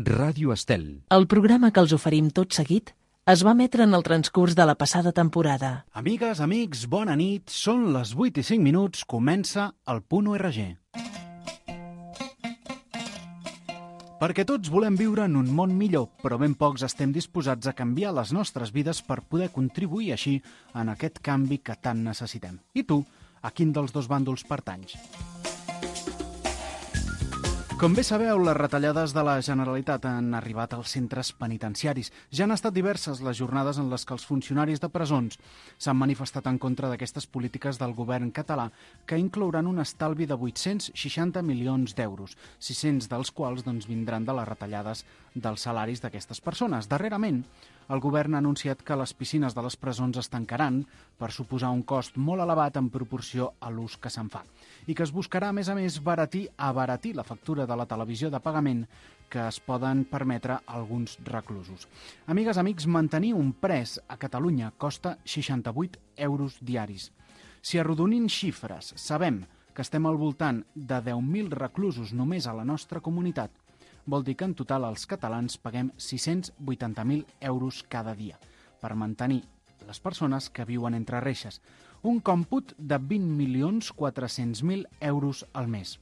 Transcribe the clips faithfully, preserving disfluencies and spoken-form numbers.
Ràdio Estel. El programa que els oferim tot seguit es va emetre en el transcurs de la passada temporada. Amigues, amics, bona nit. Són les vuit i cinc minuts. Comença el Punt O R G. Perquè tots volem viure en un món millor, però ben pocs estem disposats a canviar les nostres vides per poder contribuir així en aquest canvi que tant necessitem. I tu, a quin dels dos bàndols pertanys? Com bé sabeu, les retallades de la Generalitat han arribat als centres penitenciaris. Ja han estat diverses les jornades en les que els funcionaris de presons s'han manifestat en contra d'aquestes polítiques del govern català, que inclouran un estalvi de vuit-cents seixanta milions d'euros, sis-cents dels quals doncs, vindran de les retallades dels salaris d'aquestes persones. Darrerament, el govern ha anunciat que les piscines de les presons es tancaran per suposar un cost molt elevat en proporció a l'ús que se'n fa i que es buscarà, a més a més, baratir, abaratir la factura de la televisió de pagament que es poden permetre alguns reclusos. Amigues, amics, mantenir un pres a Catalunya costa seixanta-vuit euros diaris. Si arrodonim xifres, sabem que estem al voltant de deu mil reclusos només a la nostra comunitat, vol dir que en total els catalans paguem sis-cents vuitanta mil euros cada dia per mantenir les persones que viuen entre reixes, un còmput de vint milions quatre-cents mil euros al mes.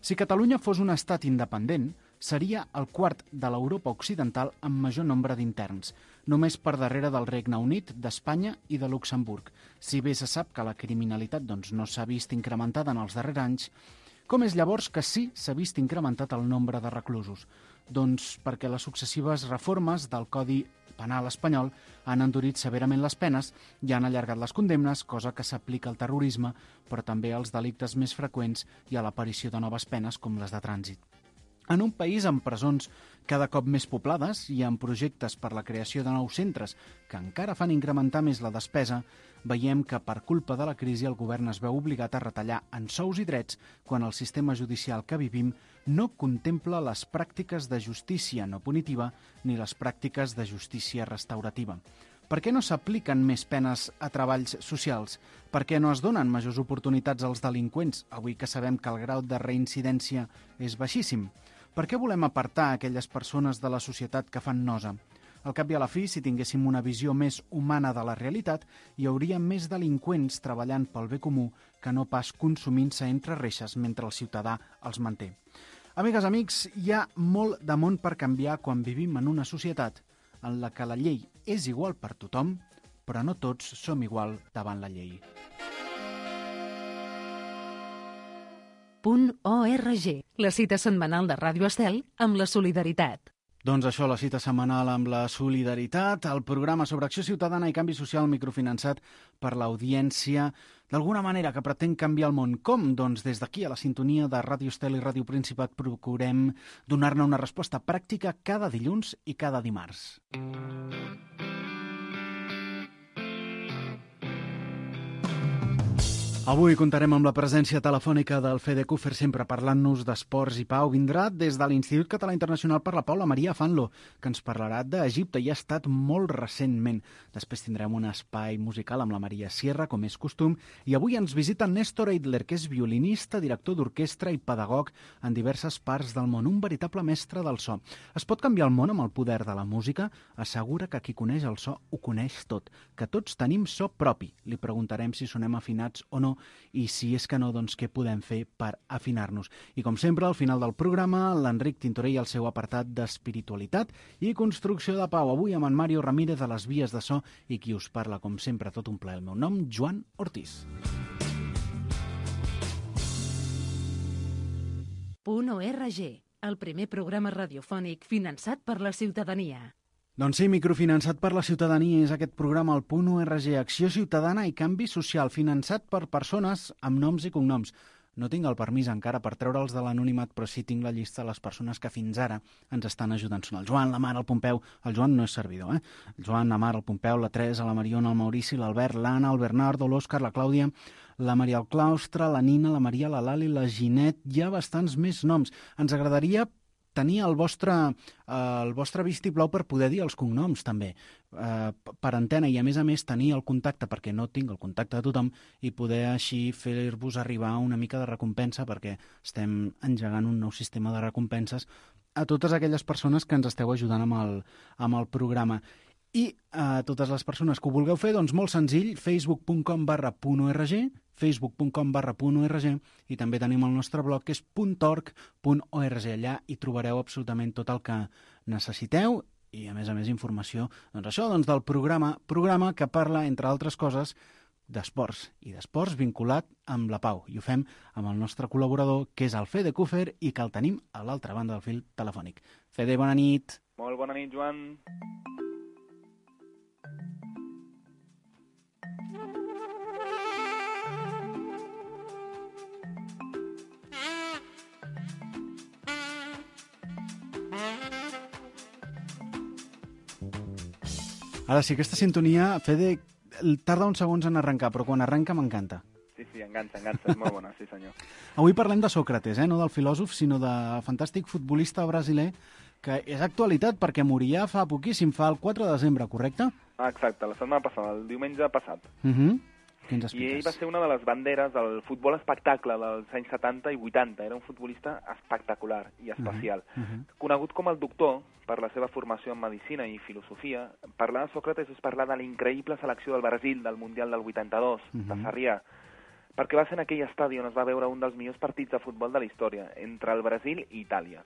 Si Catalunya fos un estat independent, seria el quart de l'Europa occidental amb major nombre d'interns, només per darrere del Regne Unit, d'Espanya i de Luxemburg. Si bé se sap que la criminalitat doncs, no s'ha vist incrementada en els darrers anys, com és llavors que sí s'ha vist incrementat el nombre de reclusos? Doncs perquè les successives reformes del Codi Penal espanyol han endurit severament les penes i han allargat les condemnes, cosa que s'aplica al terrorisme, però també als delictes més freqüents i a l'aparició de noves penes com les de trànsit. En un país amb presons cada cop més poblades i amb projectes per la creació de nous centres que encara fan incrementar més la despesa, veiem que per culpa de la crisi el govern es veu obligat a retallar en sous i drets quan el sistema judicial que vivim no contempla les pràctiques de justícia no punitiva ni les pràctiques de justícia restaurativa. Per què no s'apliquen més penes a treballs socials? Per què no es donen majors oportunitats als delinqüents, avui que sabem que el grau de reincidència és baixíssim? Per què volem apartar aquelles persones de la societat que fan nosa? Al cap i a la fi, si tinguéssim una visió més humana de la realitat, hi hauria més delinqüents treballant pel bé comú que no pas consumint-se entre reixes mentre el ciutadà els manté. Amigues, amics, hi ha molt de món per canviar quan vivim en una societat en la que la llei és igual per tothom, però no tots som igual davant la llei. Punt O R G, la cita setmanal de Ràdio Estel amb la solidaritat. Doncs això, la cita setmanal amb la solidaritat, el programa sobre acció ciutadana i canvi social microfinançat per l'audiència, d'alguna manera que pretén canviar el món. Com? Doncs des d'aquí, a la sintonia de Ràdio Estel i Ràdio Principat, procurem donar-ne una resposta pràctica cada dilluns i cada dimarts. Avui comptarem amb la presència telefònica del Fedecufer, sempre parlant-nos d'esports i pau. Vindrà des de l'Institut Català Internacional per la Pau la Maria Fanlo, que ens parlarà d'Egipte i ha estat molt recentment. Després tindrem un espai musical amb la Maria Sierra, com és costum, i avui ens visita Néstor Eidler, que és violinista, director d'orquestra i pedagog en diverses parts del món, un veritable mestre del so. Es pot canviar el món amb el poder de la música? Assegura que qui coneix el so ho coneix tot, que tots tenim so propi. Li preguntarem si sonem afinats o no, i si és que no, doncs què podem fer per afinar-nos. I com sempre, al final del programa, l'Enric Tintoré i el seu apartat d'espiritualitat i construcció de pau. Avui amb en Mario Ramírez a les vies de so i qui us parla, com sempre, tot un plaer. El meu nom, Joan Ortiz. Punt O R G, el primer programa radiofònic finançat per la ciutadania. Doncs sí, microfinançat per la ciutadania és aquest programa, el Punt O R G, Acció Ciutadana i Canvi Social, finançat per persones amb noms i cognoms. No tinc el permís encara per treure'ls de l'anonimat, però sí tinc la llista de les persones que fins ara ens estan ajudant. Són el Joan, la Mar, el Pompeu. El Joan no és servidor, eh? El Joan, la Mar, el Pompeu, la Teresa, la Mariona, el Maurici, l'Albert, l'Anna, el Bernardo, l'Òscar, la Clàudia, la Maria del Claustre, la Nina, la Maria, la Lali, la Ginet. Hi ha bastants més noms. Ens agradaria tenir el vostre, eh, el vostre vistiplau per poder dir els cognoms també, eh, per antena, i a més a més tenir el contacte, perquè no tinc el contacte de tothom, i poder així fer-vos arribar una mica de recompensa, perquè estem engegant un nou sistema de recompenses a totes aquelles persones que ens esteu ajudant amb el, amb el programa. I a totes les persones que ho vulgueu fer, doncs molt senzill, facebook punt com barra punt org, facebook punt com barra punt org, i també tenim el nostre blog que és punt org punt org. Allà hi trobareu absolutament tot el que necessiteu i, a més a més, informació, doncs això, doncs del programa, programa que parla, entre altres coses, d'esports i d'esports vinculat amb la pau. I ho fem amb el nostre col·laborador, que és el Fede Kufer, i que el tenim a l'altra banda del fil telefònic. Fede, bona nit. Molt bona nit, Joan. Ara sí, aquesta sintonia, Fede, tarda uns segons en arrencar, però quan arrenca m'encanta. Sí, sí, enganxa, enganxa, és molt bona, sí senyor. Avui parlem de Sòcrates, eh? No del filòsof, sinó de fantàstic futbolista brasiler, que és actualitat perquè moria fa poquíssim, fa el quatre de desembre, correcte? Ah, exacte, la setmana passada, el diumenge passat. Uh -huh. Què ens I expliques? ell va ser una de les banderes del futbol espectacle dels anys setanta i vuitanta. Era un futbolista espectacular i especial. Uh -huh. Conegut com el doctor per la seva formació en medicina i filosofia, parlar de Sòcrates és parlar de la increïble selecció del Brasil del Mundial del vuitanta-dos, uh -huh. de Sarrià, perquè va ser en aquell estadi on es va veure un dels millors partits de futbol de la història, entre el Brasil i Itàlia.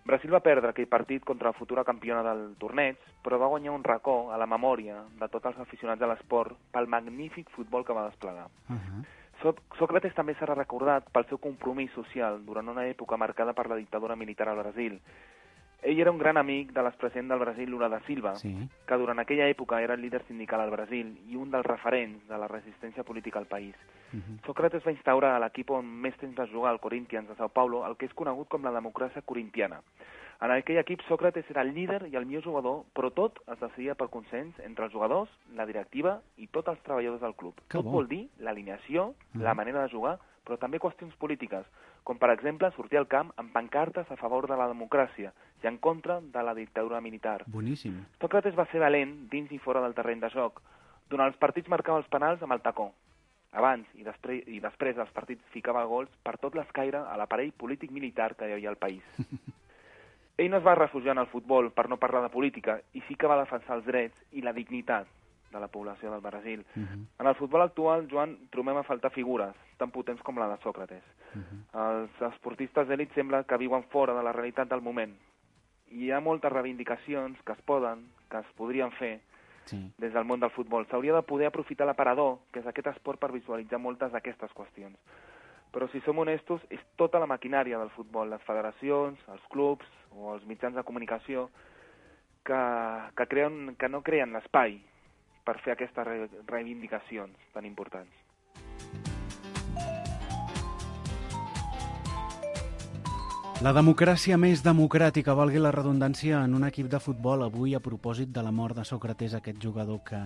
Brasil va perdre aquell partit contra la futura campiona del torneig, però va guanyar un racó a la memòria de tots els aficionats de l'esport pel magnífic futbol que va desplegar. Uh -huh. So Sòcrates també serà recordat pel seu compromís social durant una època marcada per la dictadura militar al Brasil. Ell era un gran amic de l'expresident del Brasil, Lula da Silva, Sí. que durant aquella època era el líder sindical al Brasil i un dels referents de la resistència política al país. Uh -huh. Sòcrates va instaurar a l'equip on més temps va jugar, el Corinthians de Sao Paulo, el que és conegut com la democràcia corintiana. En aquell equip, Sòcrates era el líder i el millor jugador, però tot es decidia per consens entre els jugadors, la directiva i tots els treballadors del club. Que tot bo. vol dir l'alineació, Uh -huh. la manera de jugar, però també qüestions polítiques, com per exemple sortir al camp amb pancartes a favor de la democràcia i en contra de la dictadura militar. Boníssim. Sòcrates va ser valent dins i fora del terreny de joc. Durant els partits marcava els penals amb el tacó. Abans i després, i després dels partits ficava gols per tot l'escaire a l'aparell polític-militar que hi havia al país. Ell no es va refugiar en el futbol per no parlar de política i sí que va defensar els drets i la dignitat de la població del Brasil. Uh -huh. En el futbol actual, Joan, trobem a faltar figures tan potents com la de Sòcrates. Uh -huh. Els esportistes d'elit sembla que viuen fora de la realitat del moment. I hi ha moltes reivindicacions que es poden, que es podrien fer Sí. des del món del futbol. S'hauria de poder aprofitar l'aparador, que és aquest esport, per visualitzar moltes d'aquestes qüestions. Però si som honestos, és tota la maquinària del futbol, les federacions, els clubs o els mitjans de comunicació que, que, creen, que no creen l'espai per fer aquestes re reivindicacions tan importants. La democràcia més democràtica, valgui la redundància, en un equip de futbol avui a propòsit de la mort de Sòcrates, aquest jugador que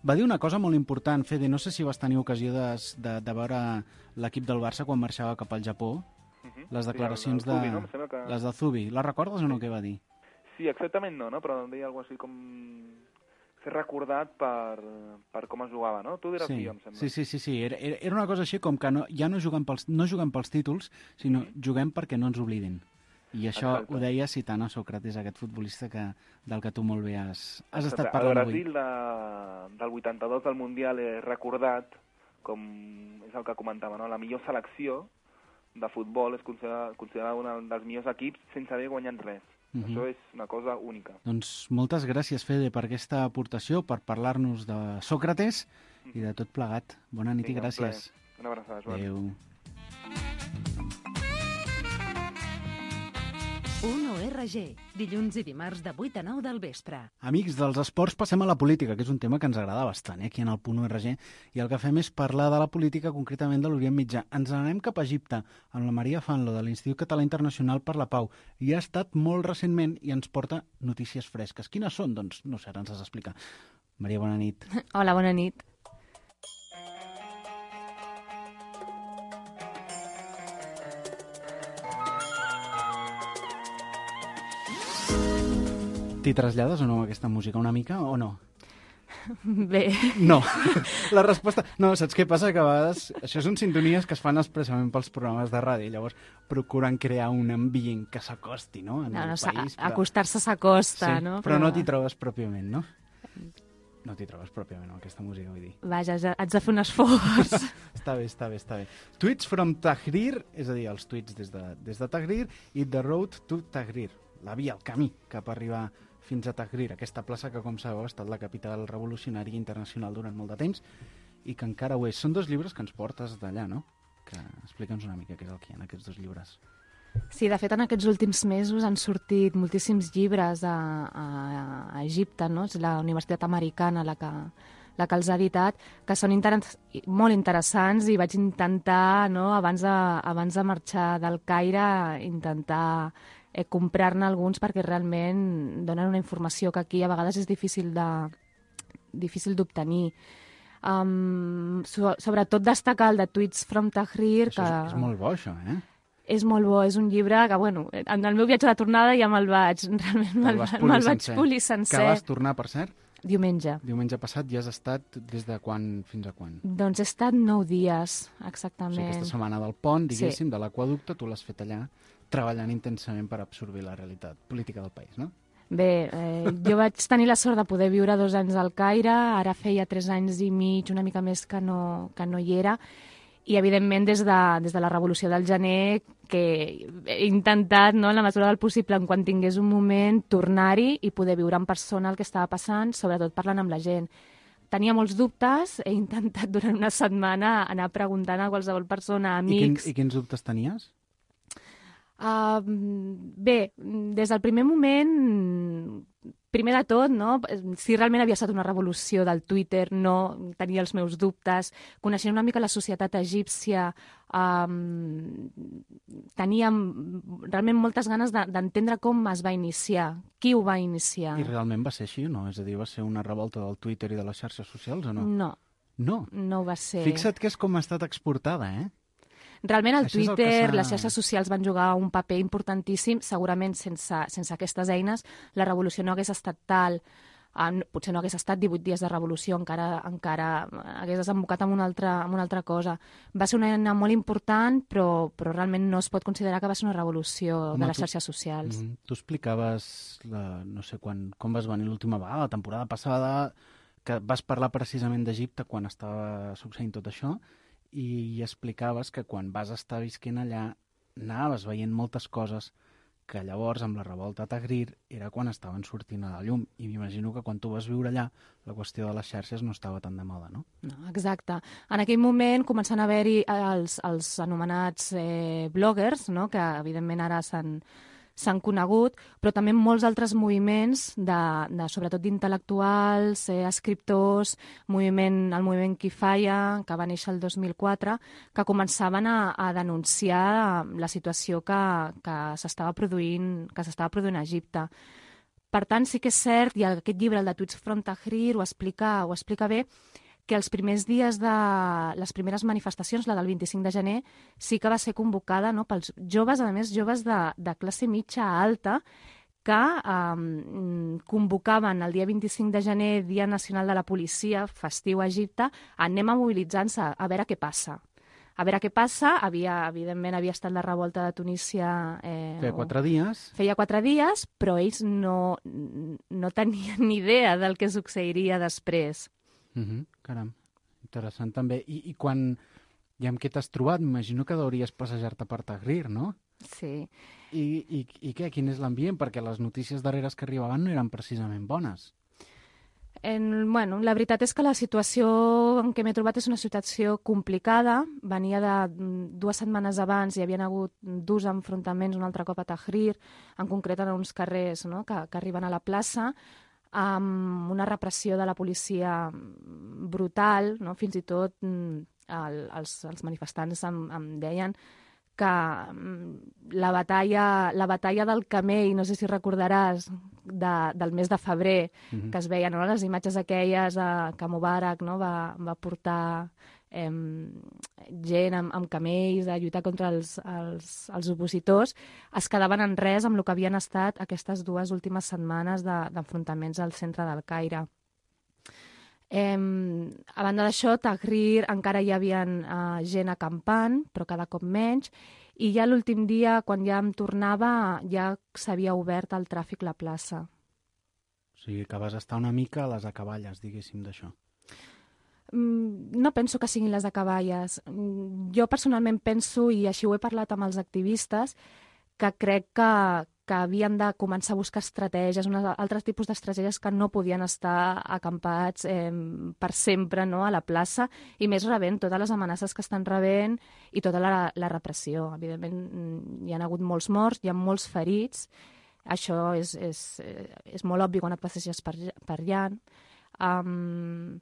va dir una cosa molt important. Fede, no sé si vas tenir ocasió de, de, de veure l'equip del Barça quan marxava cap al Japó, Uh-huh. les declaracions sí, el, el Zubi, de... no? Em sembla que... Les de Zubi. Les recordes o no, què va dir? Sí, exactament no, no? Però em deia alguna cosa així com ser recordat per, per com es jugava, no? Tu diràs Sí, sí, em sembla. sí, sí, sí, sí. Era, era una cosa així com que no, ja no juguem pels, no juguem pels títols, sinó Mhm. juguem perquè no ens oblidin. I això Exacte. ho deia citant a Sòcrates, aquest futbolista que, del que tu molt bé has, has estat El parlant avui. Brasil de, del vuitanta-dos del Mundial és recordat com és el que comentava, no? La millor selecció de futbol és considerada, considerada un dels millors equips sense haver guanyat res. Mhm. Això és una cosa única. Doncs moltes gràcies, Fede, per aquesta aportació, per parlar-nos de Sòcrates i de tot plegat. Bona nit Vinga, i gràcies. un plaer. Una abraçada, Joan. Adéu. un O R G, dilluns i dimarts de vuit a nou del vespre. Amics dels esports, passem a la política, que és un tema que ens agrada bastant, eh, aquí en el punt O R G, i el que fem és parlar de la política, concretament de l'Orient Mitjà. Ens n'anem cap a Egipte, amb la Maria Fanlo, de l'Institut Català Internacional per la Pau. Hi ha estat molt recentment i ens porta notícies fresques. Quines són? Doncs no sé, ara ens has d'explicar. Maria, bona nit. Hola, bona nit. T'hi trasllades o no amb aquesta música, una mica, o no? Bé. No. La resposta... No, saps què passa? Que a vegades això són sintonies que es fan expressament pels programes de ràdio, llavors procuren crear un ambient que s'acosti, no?, en no, el no, país. Però... Acostar-se s'acosta, sí, no? Però... però no t'hi trobes pròpiament, no? No t'hi trobes pròpiament, amb aquesta música, vull dir. Vaja, haig de fer un esforç. Està bé, està bé, està bé. Tweets from Tahrir, és a dir, els tuits des de, des de Tahrir, i The Road to Tahrir, la via, el camí cap a arribar fins a Tahrir, aquesta plaça que, com sabeu, ha estat la capital revolucionària internacional durant molt de temps i que encara ho és. Són dos llibres que ens portes d'allà, no? Que explica'ns una mica què és el que hi ha en aquests dos llibres. Sí, de fet, en aquests últims mesos han sortit moltíssims llibres a, a, a Egipte, no? És la Universitat Americana la que, la que els ha editat, que són inter molt interessants i vaig intentar, no, abans de, abans de marxar del Caire, intentar eh, comprar-ne alguns perquè realment donen una informació que aquí a vegades és difícil de difícil d'obtenir. Um, so, sobretot destacar el de Tweets from Tahrir. Això que... és, és molt bo, això, eh? És molt bo, és un llibre que, bueno, en el meu viatge de tornada ja me'l vaig, realment me'l me vaig polir sencer. Que vas tornar, per cert? Diumenge. Diumenge passat, ja has estat des de quan fins a quan? Doncs he estat nou dies, exactament. O sigui, aquesta setmana del pont, diguéssim, sí. de l'aquaducte, tu l'has fet allà, treballant intensament per absorbir la realitat política del país, no? Bé, eh, jo vaig tenir la sort de poder viure dos anys al Caire, ara feia tres anys i mig, una mica més que no, que no hi era, i evidentment des de, des de la revolució del gener que he intentat, no, en la mesura del possible, en quan tingués un moment, tornar-hi i poder viure en persona el que estava passant, sobretot parlant amb la gent. Tenia molts dubtes, he intentat durant una setmana anar preguntant a qualsevol persona, amics... I, quin, i quins dubtes tenies? Uh, bé, des del primer moment, primer de tot, no, si realment havia estat una revolució del Twitter, no, tenia els meus dubtes, coneixent una mica la societat egípcia, um, tenia realment moltes ganes d'entendre com es va iniciar, qui ho va iniciar. I realment va ser així o no? És a dir, va ser una revolta del Twitter i de les xarxes socials o no? No. No? No va ser. Fixa't que és com ha estat exportada, eh? Realment el Això Twitter, el les xarxes socials van jugar un paper importantíssim. Segurament sense, sense aquestes eines la revolució no hagués estat tal, eh, potser no hagués estat divuit dies de revolució, encara, encara hagués desembocat en una, altra, en una altra cosa. Va ser una eina molt important, però, però realment no es pot considerar que va ser una revolució Home, de les tu, xarxes socials. Mm, tu explicaves, la, no sé quan, com vas venir l'última vegada, la temporada passada, que vas parlar precisament d'Egipte quan estava succeint tot això, i explicaves que quan vas estar visquent allà anaves veient moltes coses que llavors amb la revolta a Tahrir era quan estaven sortint a la llum, i m'imagino que quan tu vas viure allà la qüestió de les xarxes no estava tan de moda, no? No, exacte. En aquell moment començant a haver-hi els, els anomenats eh, bloggers, no? Que evidentment ara s'han s'han conegut, però també molts altres moviments, de, de, sobretot d'intel·lectuals, eh, escriptors, moviment, el moviment Kifaya, que va néixer el dos mil quatre, que començaven a, a denunciar la situació que, que s'estava produint, que s'estava produint a Egipte. Per tant, sí que és cert, i aquest llibre, el de Tweets from Tahrir, ho explica, ho explica bé, que els primers dies de les primeres manifestacions, la del vint-i-cinc de gener, sí que va ser convocada, no, pels joves, a més, joves de, de classe mitja alta, que um, convocaven el dia vint-i-cinc de gener, Dia Nacional de la Policia, festiu a Egipte, anem a mobilitzar-nos a, a veure què passa. A veure què passa, havia, evidentment havia estat la revolta de Tunísia... Eh, feia quatre dies. Feia quatre dies, però ells no, no tenien ni idea del que succeiria després. Uh-huh. Caram, interessant també. I, i quan, i amb què t'has trobat? M'imagino que deuries passejar-te per Tahrir, no? Sí. I, i, i què? Quin és l'ambient? Perquè les notícies darreres que arribaven no eren precisament bones. En, bueno, la veritat és que la situació en què m'he trobat és una situació complicada. Venia de dues setmanes abans, hi havia hagut dos enfrontaments un altre cop a Tahrir, en concret en uns carrers, no?, que, que arriben a la plaça, amb una repressió de la policia brutal, no? Fins i tot el, els, els manifestants em, em deien que la batalla, la batalla del Camell, no sé si recordaràs, de, del mes de febrer, mm-hmm. que es veien, no?, les imatges aquelles eh, que Mubarak, no?, va, va portar eh, gent amb, amb camells a lluitar contra els, els, els opositors, es quedaven en res amb el que havien estat aquestes dues últimes setmanes de, d'enfrontaments al centre del Caire. Eh, a banda d'això, Tahrir encara hi havia eh, gent acampant, però cada cop menys, i ja l'últim dia, quan ja em tornava, ja s'havia obert el tràfic a la plaça. O sigui, que vas estar una mica a les acaballes, diguéssim, d'això. No penso que siguin les acaballes. Jo personalment penso, i així ho he parlat amb els activistes, que crec que, que havien de començar a buscar estratègies, uns altres tipus d'estratègies que no podien estar acampats eh, per sempre, no?, a la plaça, i més rebent totes les amenaces que estan rebent i tota la, la repressió. Evidentment, hi ha hagut molts morts, hi ha molts ferits. Això és, és, és molt obvi quan et passeges per, per allà. Um,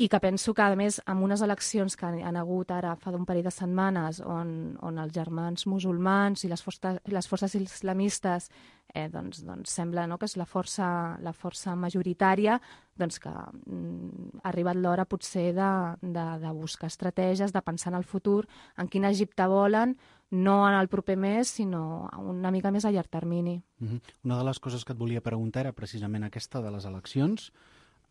I que penso que, a més, amb unes eleccions que han hagut ara fa d'un parell de setmanes on, on els germans musulmans i les forces, les forces islamistes eh, doncs, doncs sembla, no?, que és la força, la força majoritària, doncs que mm, ha arribat l'hora potser de, de, de buscar estratègies, de pensar en el futur, en quin Egipte volen, no en el proper mes, sinó una mica més a llarg termini. Uh-huh. Una de les coses que et volia preguntar era precisament aquesta de les eleccions,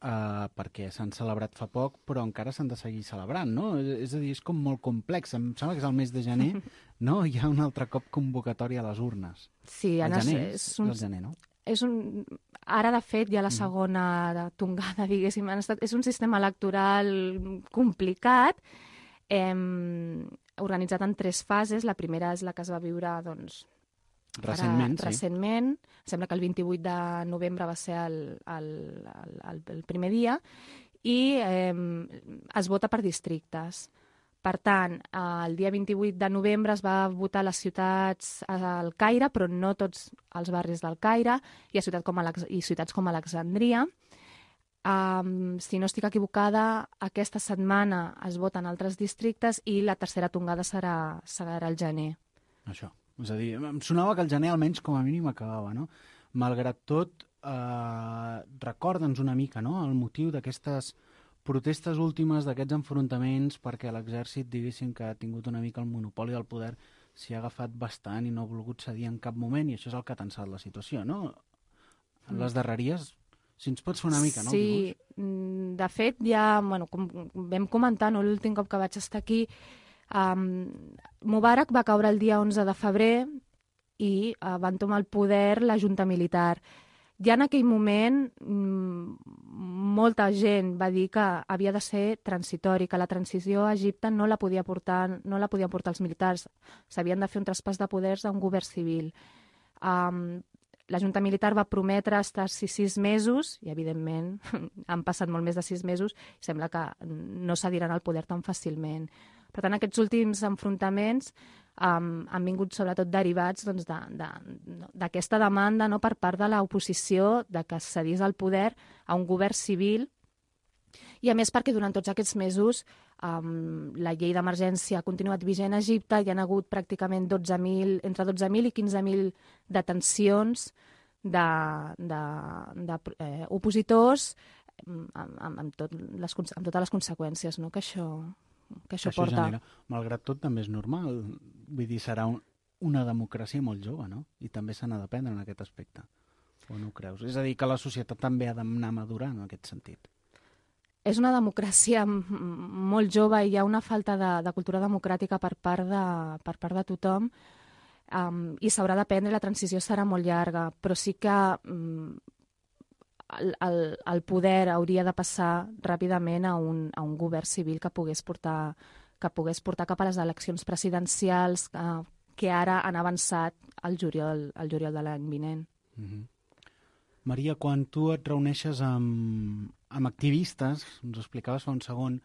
Uh, perquè s'han celebrat fa poc, però encara s'han de seguir celebrant, no? És a dir, és com molt complex. Em sembla que és el mes de gener, no? Hi ha un altre cop convocatòria a les urnes. Sí, el Anna, gener, és, un, és el gener, no? És un, ara, de fet, hi ha la segona de tongada, diguéssim. És un sistema electoral complicat, eh, organitzat en tres fases. La primera és la que es va viure, doncs, Recentment, Ara, sí. Recentment, sembla que el vint-i-vuit de novembre va ser el, el, el, el primer dia, i eh, es vota per districtes. Per tant, el dia vint-i-vuit de novembre es va votar a les ciutats al Caire, però no tots els barris del Caire, i a ciutats com, Alex i ciutats com Alexandria. Um, si no estic equivocada, aquesta setmana es voten altres districtes i la tercera tongada serà, serà el gener. Això. És a dir, em sonava que el gener almenys com a mínim acabava, no? Malgrat tot, eh, recorda'ns una mica, no?, el motiu d'aquestes protestes últimes, d'aquests enfrontaments, perquè l'exèrcit, diguéssim, que ha tingut una mica el monopoli del poder, s'hi ha agafat bastant i no ha volgut cedir en cap moment, i això és el que ha tensat la situació, no? En les darreries, si ens pots fer una mica, no? Sí, dibuix? De fet, ja, bueno, com vam comentar, no?, l'últim cop que vaig estar aquí, Um, Mubarak va caure el dia onze de febrer i uh, van tomar el poder la junta militar. Ja en aquell moment mm, molta gent va dir que havia de ser transitori, que la transició a Egipte no la podia portar, no la podien portar els militars, s'havien de fer un traspàs de poders a un govern civil. Um, la junta militar va prometre estar-s'hi sis mesos i, evidentment, han passat molt més de sis mesos i sembla que no cediran el poder tan fàcilment. Per tant, aquests últims enfrontaments um, han vingut sobretot derivats doncs, d'aquesta de, de, demanda, no?, per part de l'oposició de que es cedís el poder a un govern civil, i a més perquè durant tots aquests mesos um, la llei d'emergència ha continuat vigent a Egipte, hi ha hagut pràcticament dotze mil, entre dotze mil i quinze mil detencions de, de, de eh, opositors amb, amb, amb, tot les, amb totes les conseqüències, no?, que això... que això, això porta. Genera. Malgrat tot, també és normal. Vull dir, serà un, una democràcia molt jove, no? I també se n'ha d'aprendre en aquest aspecte. O no ho creus? És a dir, que la societat també ha d'anar madurant en aquest sentit. És una democràcia molt jove i hi ha una falta de, de cultura democràtica per part de, per part de tothom, um, i s'haurà d'aprendre, la transició serà molt llarga, però sí que um, El, el, el poder hauria de passar ràpidament a un, a un govern civil que pogués portar, que pogués portar cap a les eleccions presidencials eh, que ara han avançat al juliol, al juliol de l'any vinent. Mm-hmm. Maria, quan tu et reuneixes amb, amb activistes, ens ho explicaves fa un segon,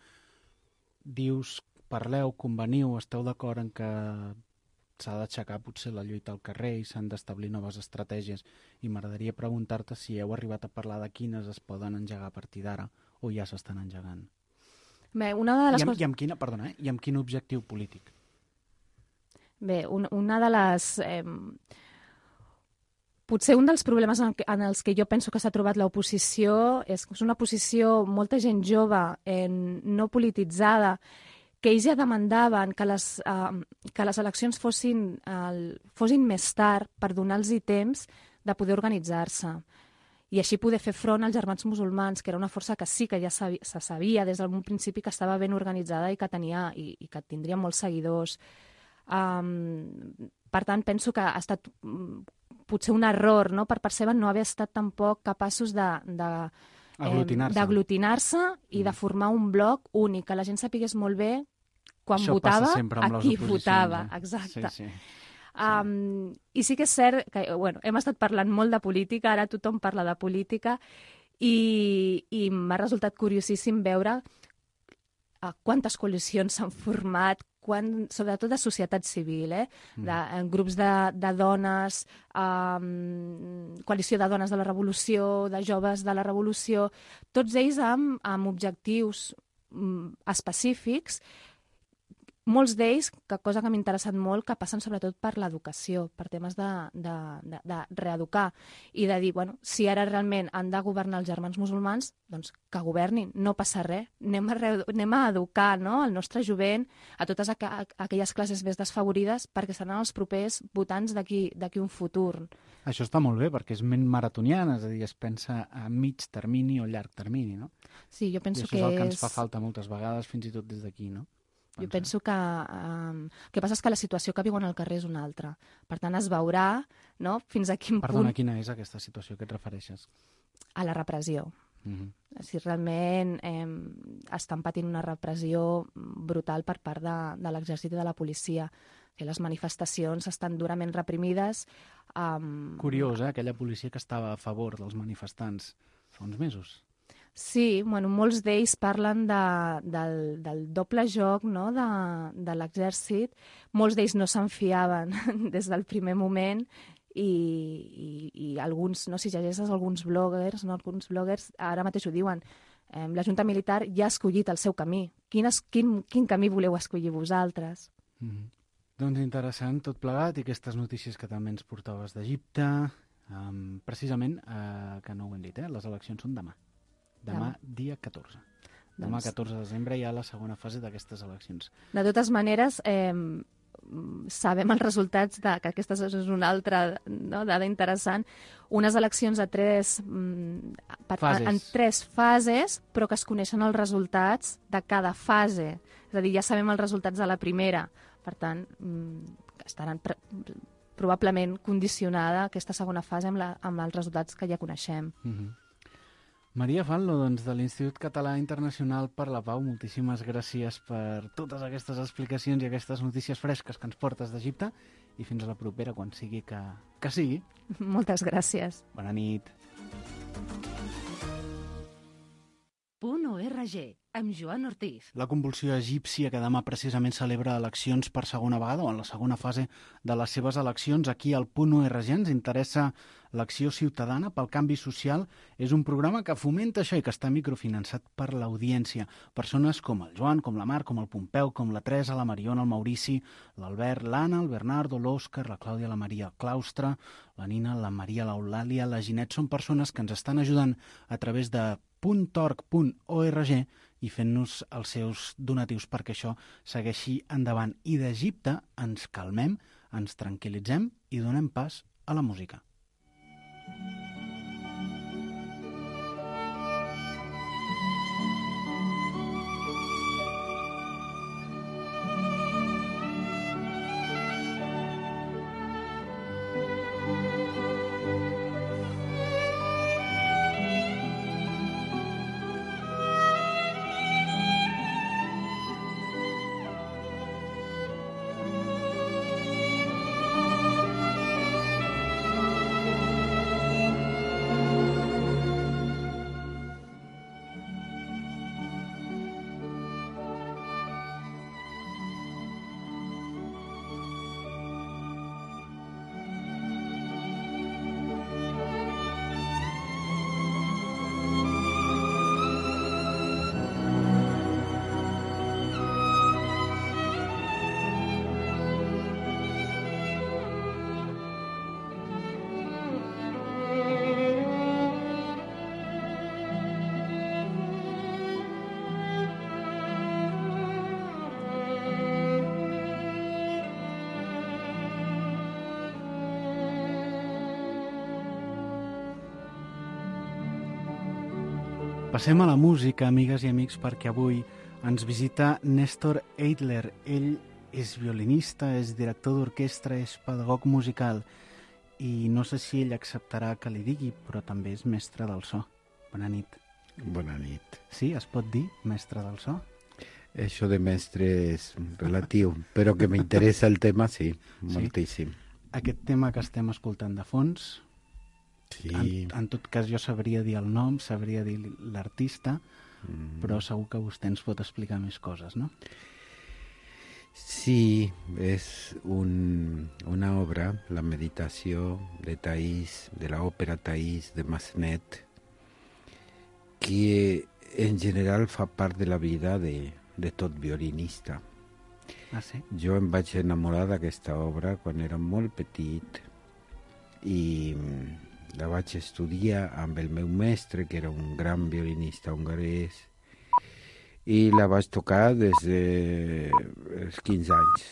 dius, parleu, conveniu, esteu d'acord en que s'ha d'aixecar potser la lluita al carrer i s'han d'establir noves estratègies, i m'agradaria preguntar-te si heu arribat a parlar de quines es poden engegar a partir d'ara o ja s'estan engegant. Bé, una de les I amb, coses... i amb, quina, perdona, eh? I amb quin objectiu polític? Bé, un, una de les... Eh, potser un dels problemes en, en els que jo penso que s'ha trobat l'oposició és que és una posició, molta gent jove, eh, no polititzada, que ells ja demandaven que les, uh, que les eleccions fossin, uh, fossin més tard per donar-los temps de poder organitzar-se. i així poder fer front als germans musulmans, que era una força que sí que ja sabia, se sabia des d'un principi que estava ben organitzada i que tenia i, i que tindria molts seguidors. Um, per tant, penso que ha estat um, potser un error, no?, per part seva no haver estat tampoc capaços de, de, aglutinar-se, eh, d'aglutinar-se i mm. de formar un bloc únic, que la gent sapigués molt bé quan Això votava a qui votava. Eh? Exacte. Sí, sí. Um, I sí que és cert que bueno, hem estat parlant molt de política, ara tothom parla de política, i, i m'ha resultat curiosíssim veure uh, quantes coalicions s'han format, quan, sobretot de societat civil, eh? de, en grups de, de dones, um, coalició de dones de la revolució, de joves de la revolució, tots ells amb, amb objectius um, específics, molts d'ells, que cosa que m'ha interessat molt, que passen sobretot per l'educació, per temes de, de, de, de reeducar i de dir, bueno, si ara realment han de governar els germans musulmans, doncs que governin, no passa res, anem a, re, anem a educar, no?, el nostre jovent, a totes aqu aquelles classes més desfavorides, perquè seran els propers votants d'aquí un futur. Això està molt bé, perquè és ment maratoniana, és a dir, es pensa a mig termini o llarg termini, no? Sí, jo penso que és... I això és el que és... ens fa falta moltes vegades, fins i tot des d'aquí, no? Jo penso que um, el que passa és que la situació que viuen al carrer és una altra. Per tant, es veurà, no?, fins a quin Perdona, punt... Perdona, quina és aquesta situació que et refereixes? A la repressió. Uh-huh. Si realment eh, estan patint una repressió brutal per part de, de l'exèrcit i de la policia. Que les manifestacions estan durament reprimides. Um... Curiós, eh?, aquella policia que estava a favor dels manifestants fa uns mesos. Sí, bueno, molts d'ells parlen de, del, del doble joc, no?, de, de l'exèrcit. Molts d'ells no se'n fiaven des del primer moment i, i, i alguns, no, si llegeixes alguns bloggers, no, alguns bloggers ara mateix ho diuen, eh, la Junta Militar ja ha escollit el seu camí. Quin, es, quin, quin camí voleu escollir vosaltres? Mm-hmm. Doncs interessant tot plegat, i aquestes notícies que també ens portaves d'Egipte, um, precisament, uh, que no ho hem dit, eh? Les eleccions són demà. Demà, dia catorze. Demà, catorze de desembre, hi ha la segona fase d'aquestes eleccions. De totes maneres, eh, sabem els resultats, de, que aquesta és una altra, no?, dada interessant, unes eleccions a tres, per, fases. en tres fases, però que es coneixen els resultats de cada fase. És a dir, ja sabem els resultats de la primera. Per tant, estaran probablement condicionada aquesta segona fase amb, la, amb els resultats que ja coneixem. Mm-hmm. Maria Fanlo, doncs, de l'Institut Català Internacional per la Pau, moltíssimes gràcies per totes aquestes explicacions i aquestes notícies fresques que ens portes d'Egipte, i fins a la propera, quan sigui que, que sigui. Moltes gràcies. Bona nit. Punt O R G, amb Joan Ortiz. La convulsió egípcia, que demà precisament celebra eleccions per segona vegada, o en la segona fase de les seves eleccions, aquí al Punt O R G ens interessa l'acció ciutadana pel canvi social. És un programa que fomenta això i que està microfinançat per l'audiència. Persones com el Joan, com la Mar, com el Pompeu, com la Teresa, la Mariona, el Maurici, l'Albert, l'Anna, el Bernardo, l'Òscar, la Clàudia, la Maria Claustre, la Nina, la Maria, l'Eulàlia, la Ginet. Són persones que ens estan ajudant a través de punt org punt org i fent-nos els seus donatius perquè això segueixi endavant. I d'Egipte ens calmem, ens tranquil·litzem i donem pas a la música. Passem a la música, amigues i amics, perquè avui ens visita Néstor Eidler. Ell és violinista, és director d'orquestra, és pedagog musical i no sé si ell acceptarà que li digui, però també és mestre del so. Bona nit. Bona nit. Sí, es pot dir mestre del so? Això de mestre és relatiu, però que m'interessa el tema, sí, moltíssim. Aquest tema que estem escoltant de fons, sí. en, en tot cas jo sabria dir el nom, sabria dir l'artista, mm. però segur que vostè ens pot explicar més coses, no? Sí, és un, una obra, la meditació de Thais, de l'òpera Thais de Massenet, que en general fa part de la vida de, de tot violinista. Ah, sí? Jo em vaig enamorar d'aquesta obra quan era molt petit i la vaig estudiar amb el meu mestre, que era un gran violinista hongarès, i la vaig tocar des dels quinze anys.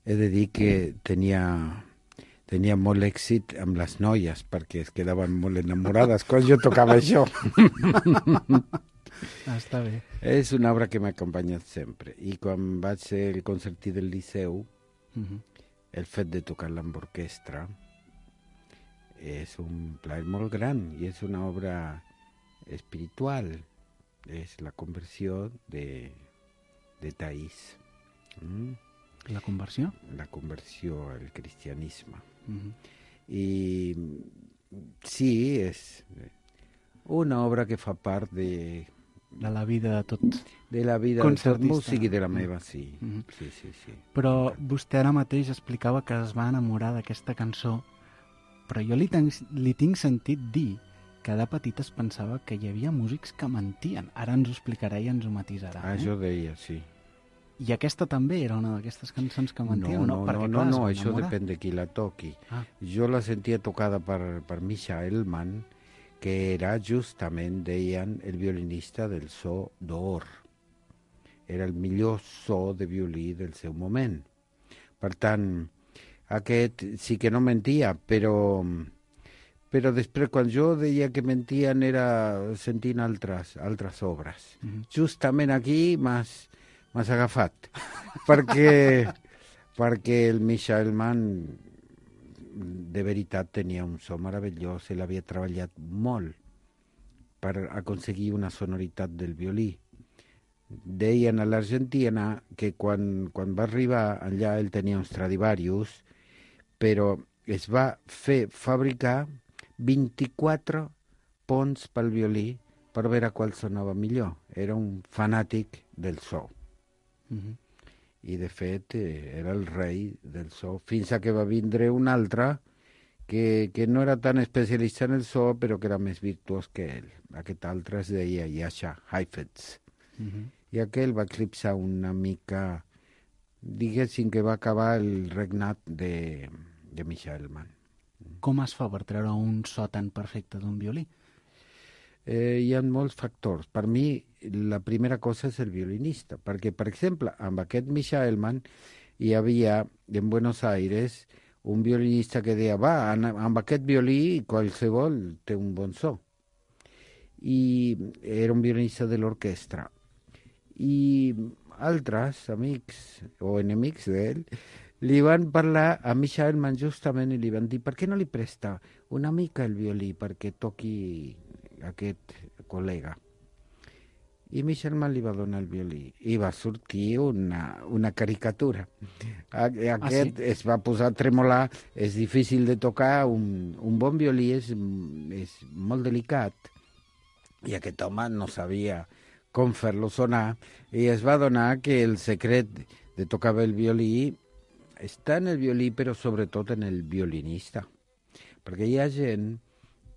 He de dir que tenia, tenia molt èxit amb les noies, perquè es quedaven molt enamorades quan jo tocava això. Ah, està bé. És una obra que m'ha acompanyat sempre. I quan vaig ser el concertí del Liceu, uh-huh. el fet de tocar-la amb orquestra és un plaer molt gran i és una obra espiritual. És la conversió de, de Thais. Mm? La conversió? La conversió al cristianisme. Uh-huh. I sí, és una obra que fa part de... De la vida de tot de la vida concertista. De tot músic i de la meva, sí. Uh-huh. sí, sí, sí. Però vostè ara mateix explicava que es va enamorar d'aquesta cançó, però jo li, ten, li tinc sentit dir que de petit es pensava que hi havia músics que mentien. Ara ens ho explicarà i ens ho matisarà. Ah, eh? jo deia, sí. I aquesta també era una d'aquestes cançons que mentien? No, no, no, Perquè, no, clar, no, no això depèn de qui la toqui. Ah. Jo la sentia tocada per, per Misha Elman, que era justament, deien, el violinista del so d'or. Era el millor so de violí del seu moment. Per tant, aquest sí que no mentia, però, però després quan jo deia que mentien era sentint altres, altres obres. Mm-hmm. Justament aquí m'has, m'has agafat, perquè, perquè el Misha Elman de veritat tenia un so meravellós, ell havia treballat molt per aconseguir una sonoritat del violí. Deien a l'Argentina que quan, quan va arribar allà ell tenia un Stradivarius, però es va fer fabricar vint-i-quatre ponts pel violí per veure qual sonava millor. Era un fanàtic del so. Mm-hmm. I de fet era el rei del so, fins a que va vindre un altre que, que no era tan especialista en el so, però que era més virtuós que ell. Aquest altre es deia Jascha Heifetz. Uh-huh. I aquell va eclipsar una mica, diguéssim que va acabar el regnat de, de Misha Elman. Com es fa per treure un so tan perfecte d'un violí? Eh, hi ha molts factors. Per mi, la primera cosa és el violinista, perquè, per exemple, amb aquest Misha Elman hi havia, en Buenos Aires, un violinista que deia, va, amb aquest violí qualsevol té un bon so. I era un violinista de l'orquestra. I altres amics o enemics d'ell li van parlar a Misha Elman justament i li van dir, per què no li presta una mica el violí perquè toqui aquest col·lega? I Misha Elman li va donar el violí i va sortir una, una caricatura. Aquest ah, sí? es va posar a tremolar, és difícil de tocar, un, un bon violí és, és molt delicat i aquest home no sabia com fer-lo sonar i es va donar que el secret de tocar bé el violí està en el violí però sobretot en el violinista, perquè hi ha gent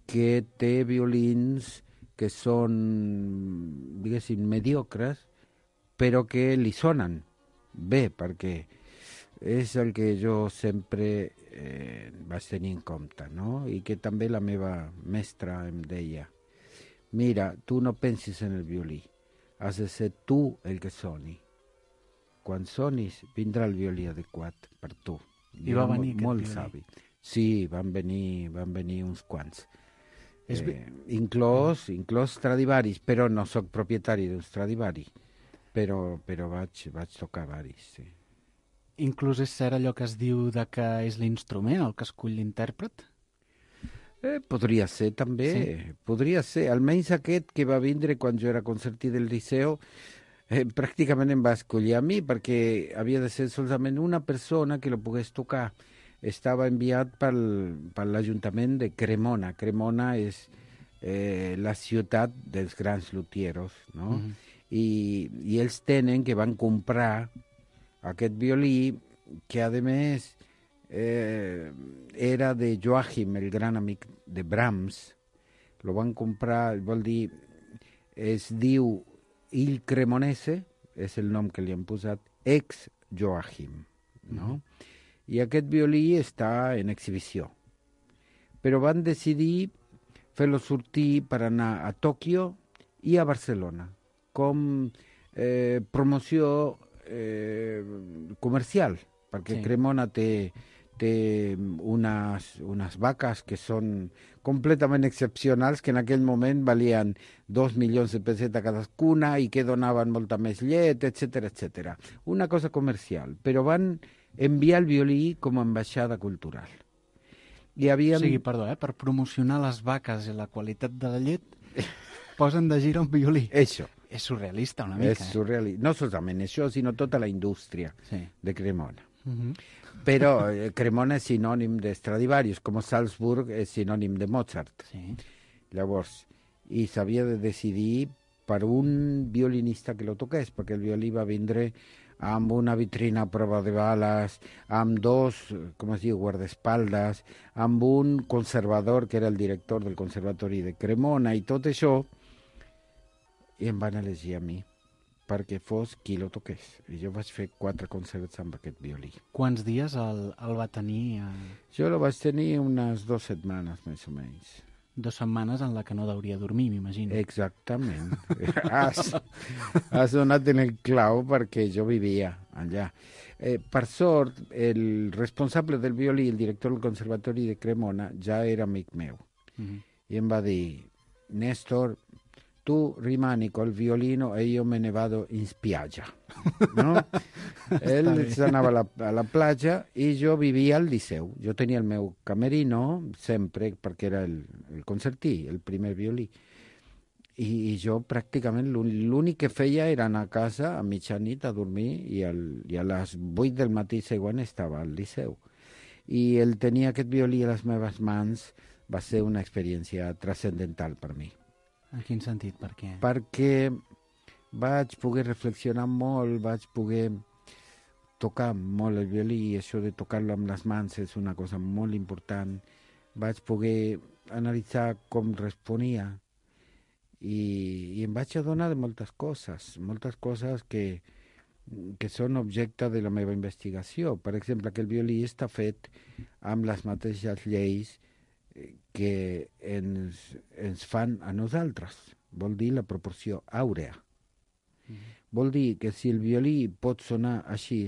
que té violins que són, diguéssim, mediocres, però que li sonen bé, perquè és el que jo sempre eh, vaig tenir en compte, no? I que també la meva mestra em deia, mira, tu no pensis en el violí, has de ser tu el que soni. Quan sonis, vindrà el violí adequat per tu. I va venir molt, molt aquest savi. Sí, van venir, van venir uns quants. Eh, inclòs, inclòs Stradivarius, però no sóc propietari d'un Stradivari, però, però vaig, vaig tocar varis, sí. Inclús és cert allò que es diu de que és l'instrument el que escull l'intèrpret? Eh, podria ser també, sí. Podria ser. Almenys aquest que va vindre quan jo era concertí del Liceu, eh, pràcticament em va escollir a mi, perquè havia de ser solament una persona que lo pogués tocar. Estava enviat pel, per l'Ajuntament de Cremona. Cremona és eh, la ciutat dels grans luthieros, no? Mm-hmm. I, I ells tenen que van comprar aquest violí, que a més eh, era de Joachim, el gran amic de Brahms. Lo van comprar, vol dir, es diu Il Cremonese, és el nom que li han posat, ex Joachim, no? Mm-hmm. I aquest violí està en exhibició. Però van decidir fer-lo sortir per anar a Tòquio i a Barcelona, com eh, promoció eh, comercial, perquè sí. Cremona té, té unes, unes vaques que són completament excepcionals, que en aquell moment valien dos milions de pessetes cadascuna i que donaven molta més llet, etcètera, etcètera. Una cosa comercial, però van enviar el violí com a ambaixada cultural. I havien... O sigui, perdó, eh? Per promocionar les vaques i la qualitat de la llet, posen de gira un violí. Això. És surrealista una mica. És surrealista. No solament això, sinó tota la indústria sí. de Cremona. Uh-huh. Però eh, Cremona és sinònim de Stradivarius, com Salzburg és sinònim de Mozart. Sí. Llavors, i s'havia de decidir per un violinista que lo toqués, perquè el violí va vindre amb una vitrina a prova de bales, amb dos, com es diu, guardaespaldes, amb un conservador, que era el director del Conservatori de Cremona, i tot això, i em van elegir a mi, perquè fos qui lo toqués. I jo vaig fer quatre concerts amb aquest violí. Quants dies el, el va tenir? A... Jo lo vaig tenir unes dues setmanes, més o menys. Dues setmanes en la que no hauria dormir, m'imagino. Exactament. has, has donat en el clau perquè jo vivia allà. Eh, per sort, el responsable del violí, el director del Conservatori de Cremona, ja era amic meu. Mm-hmm. I em va dir, Néstor, tu rimani col violino e io me ne vado in spiaggia. No? Ell s'anava a la, a la platja i jo vivia al Liceu. Jo tenia el meu camerino sempre, perquè era el, el concertí, el primer violí. I, i jo pràcticament l'únic que feia era anar a casa a mitjanit a dormir i, al, i a les vuit del matí següent estava al Liceu. I el tenir aquest violí a les meves mans va ser una experiència transcendental per mi. En quin sentit? Per què? Perquè vaig poder reflexionar molt, vaig poder tocar molt el violí, i això de tocar-lo amb les mans és una cosa molt important. Vaig poder analitzar com responia i, i em vaig adonar de moltes coses, moltes coses que, que són objecte de la meva investigació. Per exemple, que el violí està fet amb les mateixes lleis que ens, ens fan a nosaltres. Vol dir la proporció àurea. Mm-hmm. Vol dir que si el violí pot sonar així,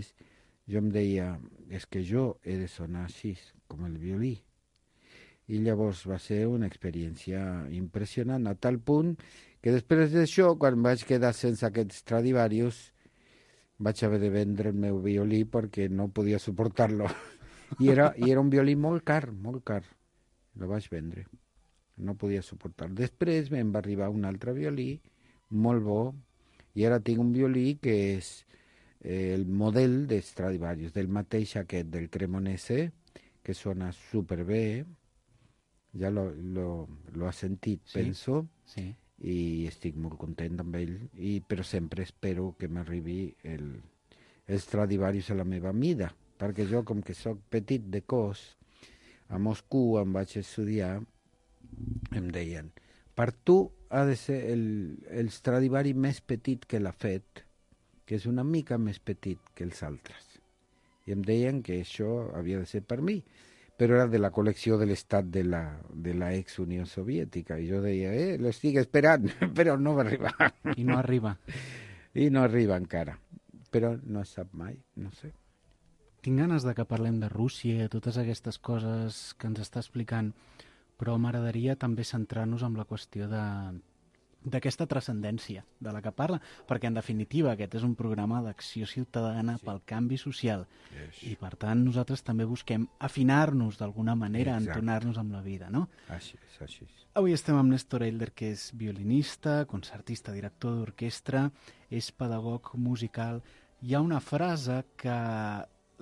jo em deia, és que jo he de sonar així, com el violí. I llavors va ser una experiència impressionant, a tal punt que després d'això, quan vaig quedar sense aquest Stradivarius, vaig haver de vendre el meu violí perquè no podia suportar-lo. I era, i era un violí molt car, molt car. Lo vaig vendre. No podia suportar. Després em va arribar un altre violí, molt bo, i ara tinc un violí que és eh, el model de Stradivarius, del mateix aquest, del Cremonese, que sona superbé. Ja lo, lo, lo ha sentit, sí, penso, sí. I estic molt content amb ell, i, però sempre espero que m'arribi el, el Stradivarius a la meva mida, perquè jo, com que sóc petit de cos, a Moscou em vaig estudiar, em deien, per tu ha de ser el, el Stradivari més petit que l'ha fet, que és una mica més petit que els altres. I em deien que això havia de ser per mi, però era de la col·lecció de l'estat de la, de la ex-Unió Soviètica. I jo deia, eh, l'estic esperant, però no va arribar. I no arriba. I no arriba encara. Però no es sap mai, no sé. Tinc ganes de que parlem de Rússia, totes aquestes coses que ens està explicant, Però m'agradaria també centrar-nos en la qüestió de d'aquesta transcendència de la que parla, perquè en definitiva aquest és un programa d'acció ciutadana sí. pel canvi social yes. i per tant nosaltres també busquem afinar-nos d'alguna manera, Exacte. entonar-nos amb la vida, no? Així és, així és. Avui estem amb Néstor Elder, que és violinista, concertista, director d'orquestra, és pedagog musical. Hi ha una frase que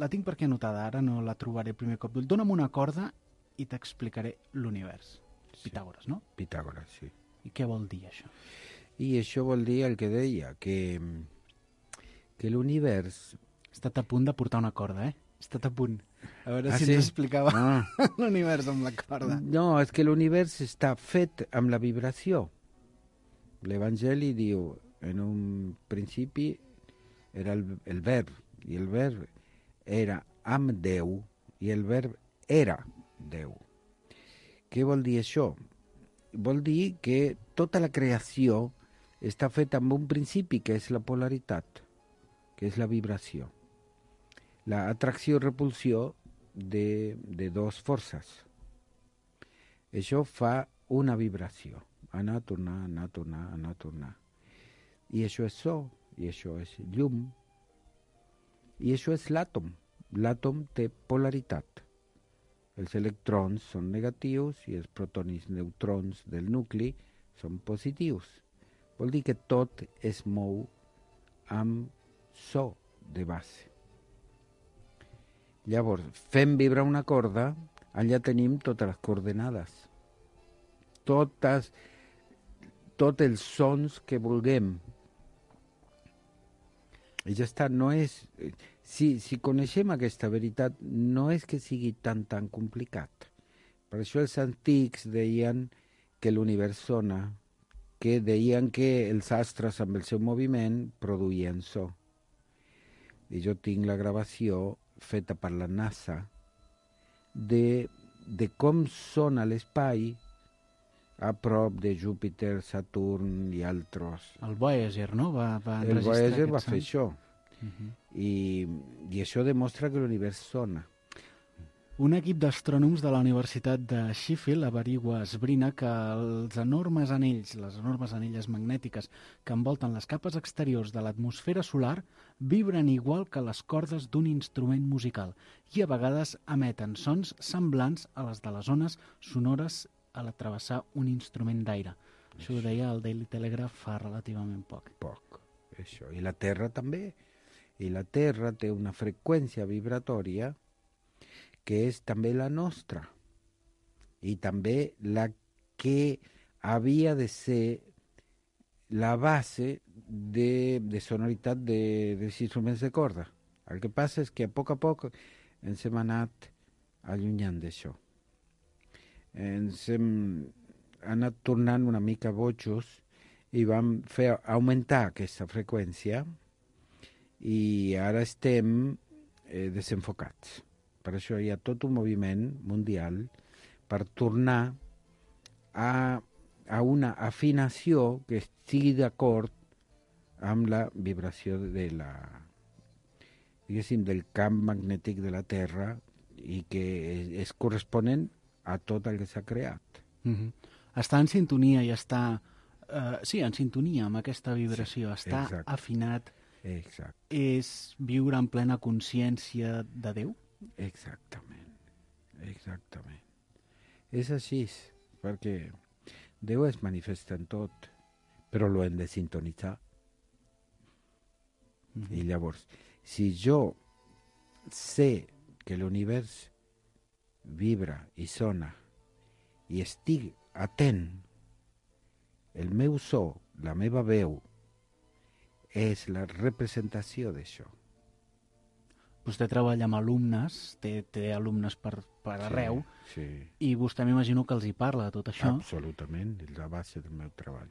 la tinc per aquí anotada, ara no la trobaré el primer cop. Dóna'm una corda i t'explicaré l'univers. Sí. Pitàgores, no? Pitàgores, sí. I què vol dir això? I això vol dir el que deia, que, que l'univers... He estat a punt de portar una corda, eh? He estat a punt. A veure ah, si sí? ens explicava ah. l'univers amb la corda. No, és que l'univers està fet amb la vibració. L'Evangeli diu, en un principi era el, el verb, i el verb era amb Déu, i el verb era Déu. Què vol dir això? Vol dir que tota la creació està feta amb un principi, que és la polaritat, que és la vibració. La atracció i repulsió de, de dos forces. Això fa una vibració. Anar, tornar, anar, tornar, anar, tornar. I això és so, i això és llum, i això és l'àtom. L'àtom té polaritat. Els electrons són negatius i els protons i neutrons del nucli són positius. Vol dir que tot es mou amb so de base. Llavors, fem vibrar una corda, allà tenim totes les coordenades. Totes, tots els sons que vulguem. I ja està, no és... Si, si coneixem aquesta veritat, no és que sigui tan, tan complicat. Per això els antics deien que l'univers sona, que deien que els astres amb el seu moviment produïen so. I jo tinc la gravació feta per la NASA de, de com sona l'espai a prop de Júpiter, Saturn i altres. El Voyager, no? Va, va el Voyager va fer sant. això. Uh-huh. I, i això demostra que l'univers sona. Un equip d'astrònoms de la Universitat de Sheffield averigua, esbrina que els enormes anells, les enormes anelles magnètiques que envolten les capes exteriors de l'atmosfera solar vibren igual que les cordes d'un instrument musical i a vegades emeten sons semblants a les de les ones sonores a la travessar un instrument d'aire. Això ho deia el Daily Telegraph fa relativament poc. Poc, això. I la Terra també. I la Terra té una freqüència vibratòria que és també la nostra. I també la que havia de ser la base de, de sonoritat de, dels instruments de corda. El que passa és que a poc a poc ens hem anat allunyant d'això. Ens hem anat tornant una mica bojos i vam fer augmentar aquesta freqüència i ara estem eh, desenfocats. Per això hi ha tot un moviment mundial per tornar a, a una afinació que estigui d'acord amb la vibració de la, diguéssim, del camp magnètic de la Terra i que és, és corresponent a tot el que s'ha creat. Mm-hmm. Està en sintonia i està... Uh, sí, en sintonia amb aquesta vibració. Sí, està exacte. Afinat. Exacte. És viure en plena consciència de Déu? Exactament, exactament. És així, perquè Déu es manifesta en tot, però lo hem de sintonitzar. Mm-hmm. I llavors, si jo sé que l'univers vibra i sona i estic atent, el meu so, la meva veu, és la representació d'això. Vostè treballa amb alumnes, té, té alumnes per, per arreu, sí, sí. I vostè m'imagino que els hi parla de tot això. Absolutament, és la base del meu treball.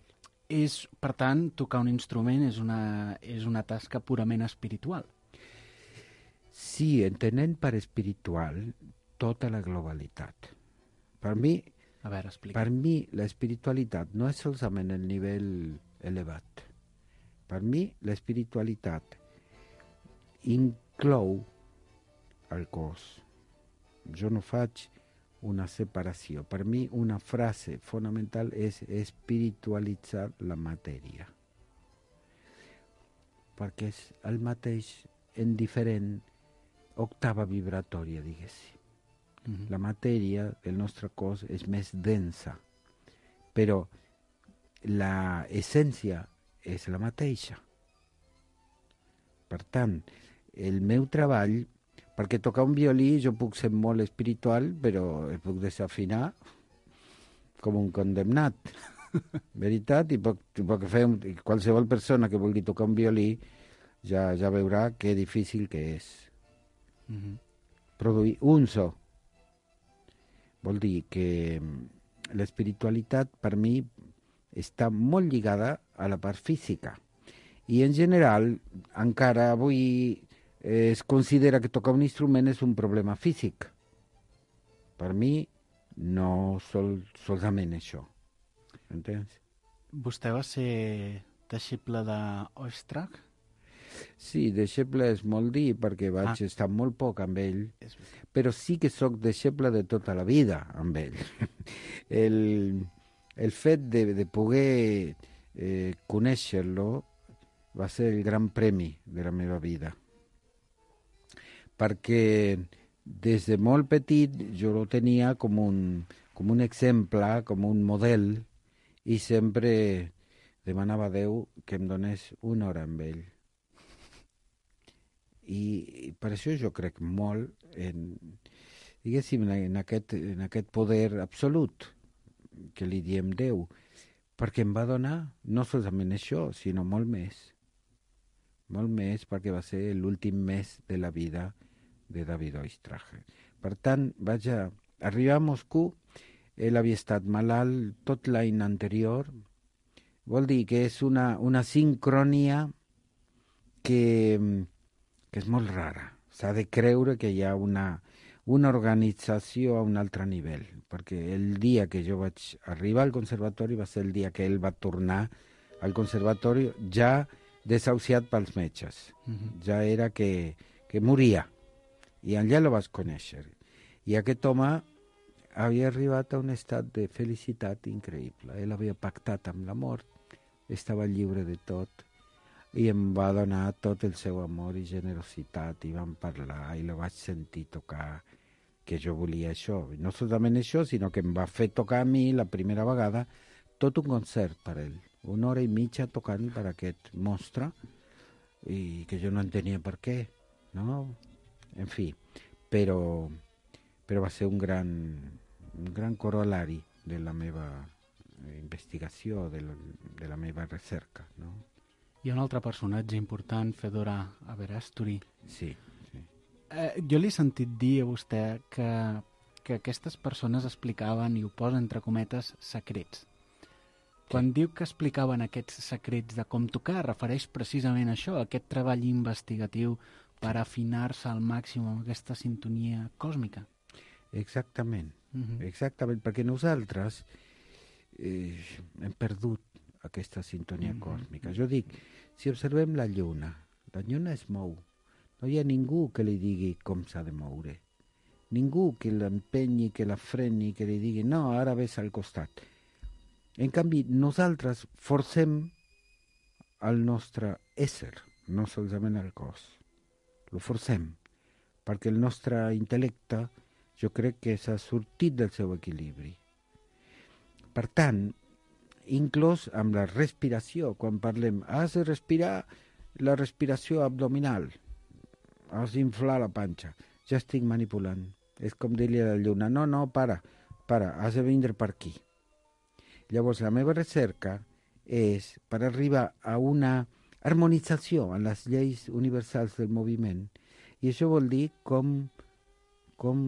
És, per tant, tocar un instrument és una, és una tasca purament espiritual. Sí, entenent per espiritual tota la globalitat. Per mi, A veure, explica. per mi l'espiritualitat no és solament el nivell elevat. Per mi l'espiritualitat inclou el cos. Jo no faig una separació. Per mi una frase fonamental és espiritualitzar la matèria. Perquè és el mateix en diferent octava vibratòria, diguéssim. Mm-hmm. La matèria del nostre cos és més densa, però la essència és la mateixa. Per tant, el meu treball, perquè tocar un violí jo puc ser molt espiritual, però el puc desafinar com un condemnat. Veritat? I puc, puc fer un, qualsevol persona que vulgui tocar un violí ja, ja veurà que difícil que és. Mm-hmm. Produir un so. Vol dir que l'espiritualitat per mi està molt lligada a la part física. I en general, encara avui es considera que tocar un instrument és un problema físic. Per mi, no sol, solament això. Entens? Vostè va ser deixeble d'Oistrakh? Sí, deixeble és molt dir, perquè vaig ah. estar molt poc amb ell, però sí que sóc deixeble de tota la vida amb ell. el, el fet de, de poder eh, conèixer-lo va ser el gran premi de la meva vida. Perquè des de molt petit jo lo tenia com un, com un exemple, com un model, i sempre demanava a Déu que em donés una hora amb ell. I, i per això jo crec molt en, diguéssim, en aquest, en aquest poder absolut que li diem Déu, perquè em va donar no solament això, sinó molt més. Molt més, perquè va ser l'últim mes de la vida de David Oistrakh. Per tant, vaig a arribar a Moscou, ell havia estat malalt tot l'any anterior, vol dir que és una, una sincronia que, que és molt rara. S'ha de creure que hi ha una, una organització a un altre nivell, perquè el dia que jo vaig arribar al conservatori va ser el dia que ell va tornar al conservatori ja desahuciat pels metges. Mm-hmm. Ja era que, que moria. I allà lo vas conèixer. I aquest home havia arribat a un estat de felicitat increïble. Ell havia pactat amb la mort, estava lliure de tot, i em va donar tot el seu amor i generositat, i vam parlar, i lo vaig sentir tocar, que jo volia això. I no solament això, sinó que em va fer tocar a mi la primera vegada tot un concert per ell. Una hora i mitja tocant per aquest monstre, i que jo no entenia per què, no? En fi, però, però va ser un gran, un gran corolari de la meva investigació, de la, de la meva recerca, no? Hi ha un altre personatge important, Fedora Averasturi. Sí, sí. Eh, jo li he sentit dir a vostè que, que aquestes persones explicaven, i ho posa entre cometes, secrets. Quan sí. diu que explicaven aquests secrets de com tocar, refereix precisament a això, a aquest treball investigatiu per afinar-se al màxim amb aquesta sintonia còsmica. Exactament, uh-huh. exactament, perquè nosaltres eh, hem perdut aquesta sintonia uh-huh. còsmica. Jo dic, si observem la lluna, la lluna es mou, no hi ha ningú que li digui com s'ha de moure, ningú que l'empenyi, que la freni, que li digui no, ara ves al costat. En canvi, nosaltres forcem el nostre ésser, no solament el cos. Lo forcem, perquè el nostre intel·lecte jo crec que s'ha sortit del seu equilibri. Per tant, inclús amb la respiració, quan parlem, has de respirar la respiració abdominal, has d'inflar la panxa, ja estic manipulant. És com dir-li a la lluna, no, no, para, para, has de vindre per aquí. Llavors, la meva recerca és per arribar a una harmonització en les lleis universals del moviment, i això vol dir com, com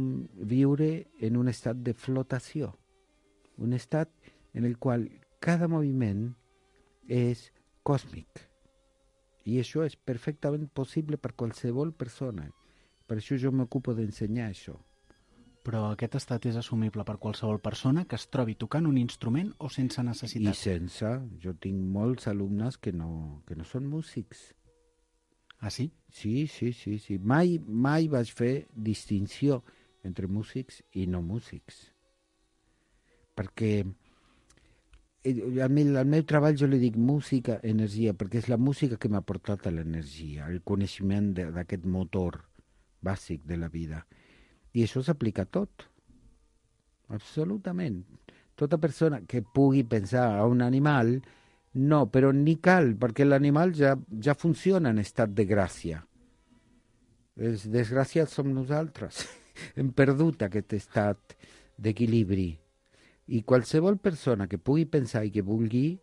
viure en un estat de flotació, un estat en el qual cada moviment és còsmic, i això és perfectament possible per qualsevol persona. Per això jo m'ocupo d'ensenyar això. Però aquest estat és assumible per qualsevol persona que es trobi tocant un instrument o sense necessitat? I sense. Jo tinc molts alumnes que no, que no són músics. Ah, sí? Sí, sí, sí, sí. Mai, mai vaig fer distinció entre músics i no músics. Perquè al meu, al meu treball jo li dic música, energia, perquè és la música que m'ha portat a l'energia, el coneixement d'aquest motor bàsic de la vida. I això s'aplica a tot, absolutament. Tota persona que pugui pensar a un animal, no, però ni cal, perquè l'animal ja, ja funciona en estat de gràcia. Els desgraciats som nosaltres. Hem perdut aquest estat d'equilibri. I qualsevol persona que pugui pensar i que vulgui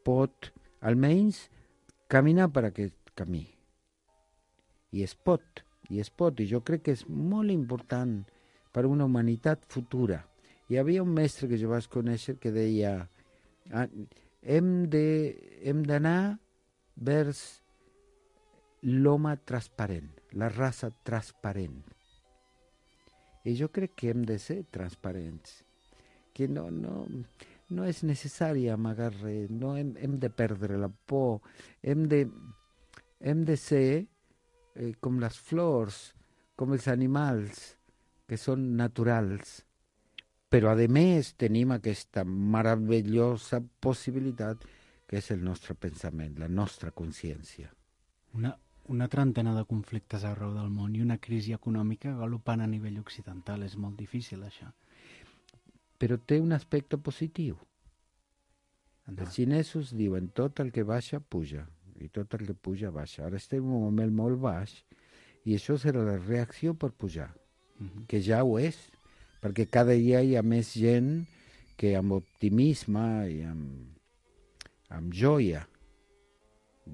pot, almenys, caminar per aquest camí. I es pot, i es pot, i jo crec que és molt important per una humanitat futura. Hi havia un mestre que jo vaig conèixer que deia ah, hem de, hem d'anar vers l'home transparent, la raça transparent. I jo crec que hem de ser transparents, que no, no, no és necessari amagar res, no hem, hem de perdre la por, hem de, hem de ser eh, com les flors, com els animals, que són naturals. Però, a més, tenim aquesta meravellosa possibilitat que és el nostre pensament, la nostra consciència. Una, una trentena de conflictes arreu del món i una crisi econòmica galopant a nivell occidental. És molt difícil, això. Però té un aspecte positiu. Els xinesos diuen tot el que baixa, puja, i tot el que puja, baixa. Ara estem en un moment molt baix, i això serà la reacció per pujar, uh-huh. que ja ho és, perquè cada dia hi ha més gent que amb optimisme i amb, amb joia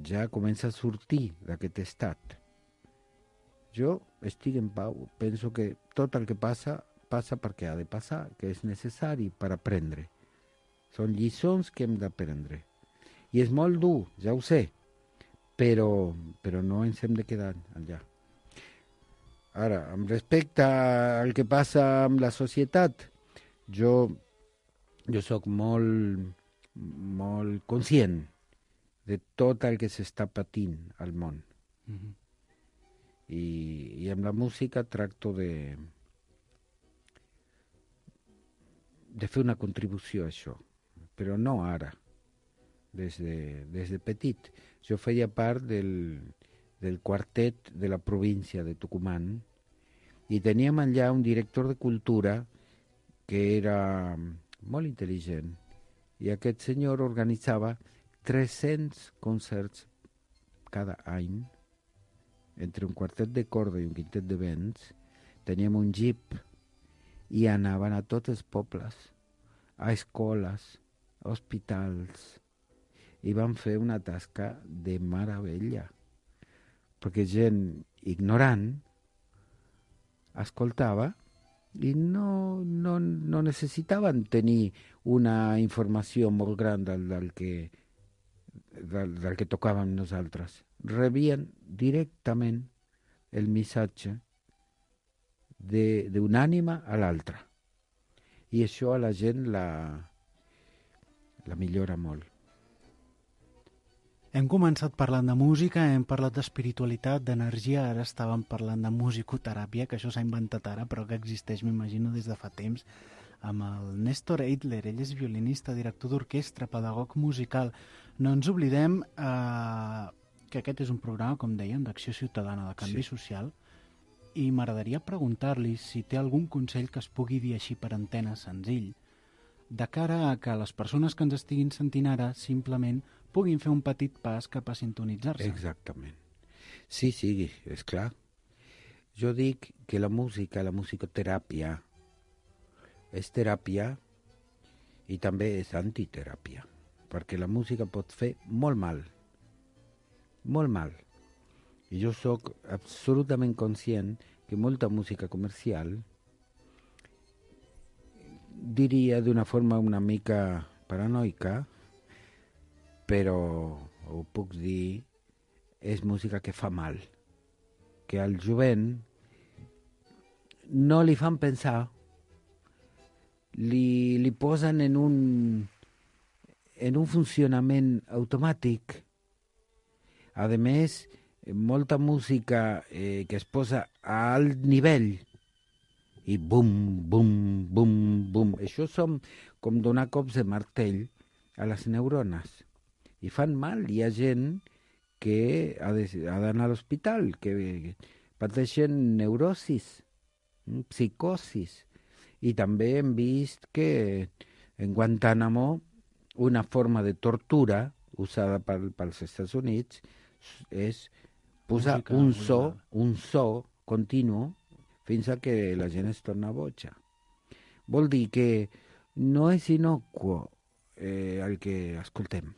ja comença a sortir d'aquest estat. Jo estic en pau, penso que tot el que passa passa perquè ha de passar, que és necessari per aprendre. Són lliçons que hem d'aprendre. I és molt dur, ja ho sé, però, però no ens hem de quedar allà. Ara, amb respecte al que passa amb la societat, jo, jo sóc molt, molt conscient de tot el que s'està patint al món. Mm-hmm. I, I amb la música tracto de de fer una contribució a això, però no ara, des de, des de petit. Jo feia part del, del quartet de la província de Tucumán i teníem allà un director de cultura que era molt intel·ligent i aquest senyor organitzava tres-cents concerts cada any entre un quartet de corda i un quintet de vents. Teníem un jeep i anaven a tots els pobles, a escoles, a hospitals, i van fer una tasca de meravella, perquè gent ignorant escoltava i no, no, no necessitaven tenir una informació molt gran del, del, que, del, del que tocàvem nosaltres. Rebien directament el missatge d'una ànima a l'altra. I això a la gent la, la millora molt. Hem començat parlant de música, hem parlat d'espiritualitat, d'energia, ara estàvem parlant de musicoteràpia, que això s'ha inventat ara, però que existeix, m'imagino, des de fa temps, amb el Néstor Eitler. Ell és violinista, director d'orquestra, pedagog musical. No ens oblidem eh, que aquest és un programa, com dèiem, d'acció ciutadana, de canvi sí. social, i m'agradaria preguntar-li si té algun consell que es pugui dir així per antena senzill, de cara a que les persones que ens estiguin sentint ara simplement puguin fer un petit pas cap a sintonitzar-se. Exactament. Sí, sí, és clar. Jo dic que la música, la musicoteràpia, és teràpia i també és antiteràpia, perquè la música pot fer molt mal, molt mal. I jo sóc absolutament conscient que molta música comercial, diria d'una forma una mica paranoica, però ho puc dir, és música que fa mal, que al jovent no li fan pensar, li, li posen en un, en un funcionament automàtic. A més, molta música eh, que es posa a alt nivell i bum, bum, bum, bum. Això són com donar cops de martell a les neurones. I fan mal. Hi ha gent que ha d'anar a l'hospital, que pateixen neurosis, psicosis. I també hem vist que en Guantánamo una forma de tortura usada pel, pels Estats Units és posar Música, un so, un so continu fins a que la gent es torna boja. Vol dir que no és inocuo eh, el que escoltem.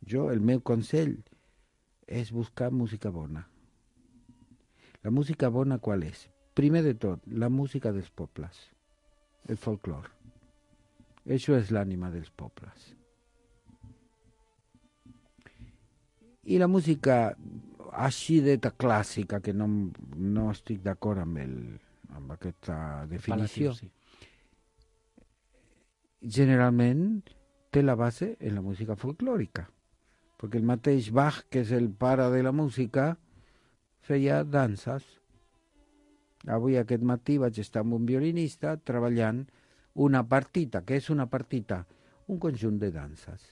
Jo, el meu consell és buscar música bona. La música bona qual és? Primer de tot, la música dels pobles, el folclore. Això és l'ànima dels pobles. I la música així d'eta clàssica, que no, no estic d'acord amb, el, amb aquesta definició, sí. Generalment té la base en la música folclòrica, perquè el mateix Bach, que és el pare de la música, feia danses. Avui aquest matí vaig estar amb un violinista treballant una partita. Què és una partita? Un conjunt de danses.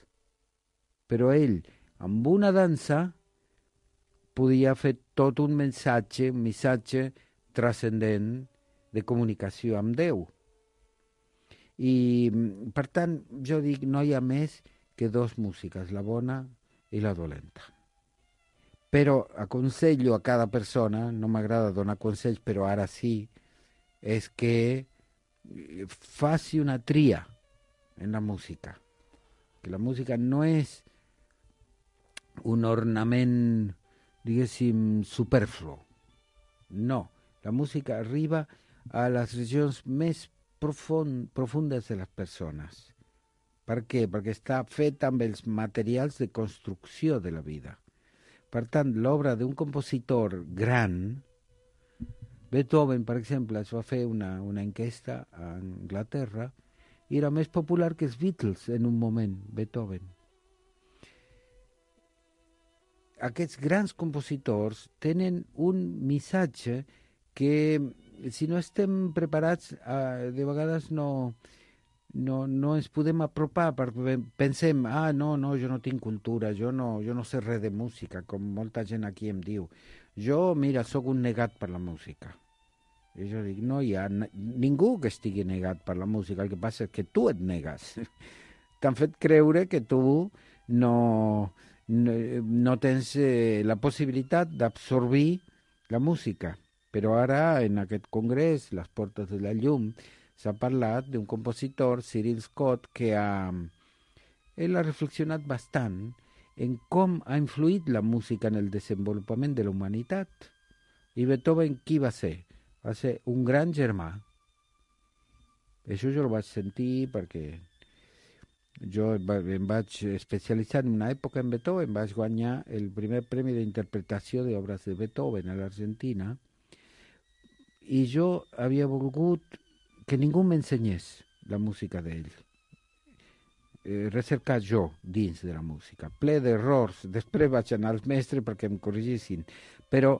Però ell, amb una dansa, podia fer tot un missatge, un missatge transcendent de comunicació amb Déu. I, per tant, jo dic, no hi ha més que dos músiques, la bona i la dolenta. Però aconsello a cada persona, no m'agrada donar consells, però ara sí, és que faci una tria en la música. Que la música no és un ornament, diguéssim, superflu. No, la música arriba a les regions més profund, profundes de les persones. Per què? Perquè està feta amb els materials de construcció de la vida. Per tant, l'obra d'un compositor gran, Beethoven, per exemple, es va fer una, una enquesta a Anglaterra i era més popular que els Beatles en un moment, Beethoven. Aquests grans compositors tenen un missatge que, si no estem preparats, eh, de vegades no, no, no ens podem apropar, perquè pensem, ah, no, no, jo no tinc cultura, jo no, jo no sé res de música, com molta gent aquí em diu. Jo, mira, sóc un negat per la música. I jo dic, no hi ha ningú que estigui negat per la música, el que passa és que tu et negues. T'han fet creure que tu no, no, no tens eh, la possibilitat d'absorbir la música. Però ara, en aquest congrés, les portes de la llum, s'ha parlat d'un compositor, Cyril Scott, que ha, ell ha reflexionat bastant en com ha influït la música en el desenvolupament de la humanitat. I Beethoven, qui va ser? Va ser un gran germà. Això jo ho vaig sentir perquè jo em vaig especialitzar en una època en Beethoven, vaig guanyar el primer premi d'interpretació d'obres de Beethoven a l'Argentina, i jo havia volgut que ningú m'ensenyés la música d'ell. Eh, recercar jo dins de la música, ple d'errors. Després vaig anar als mestres perquè em corrigissin, però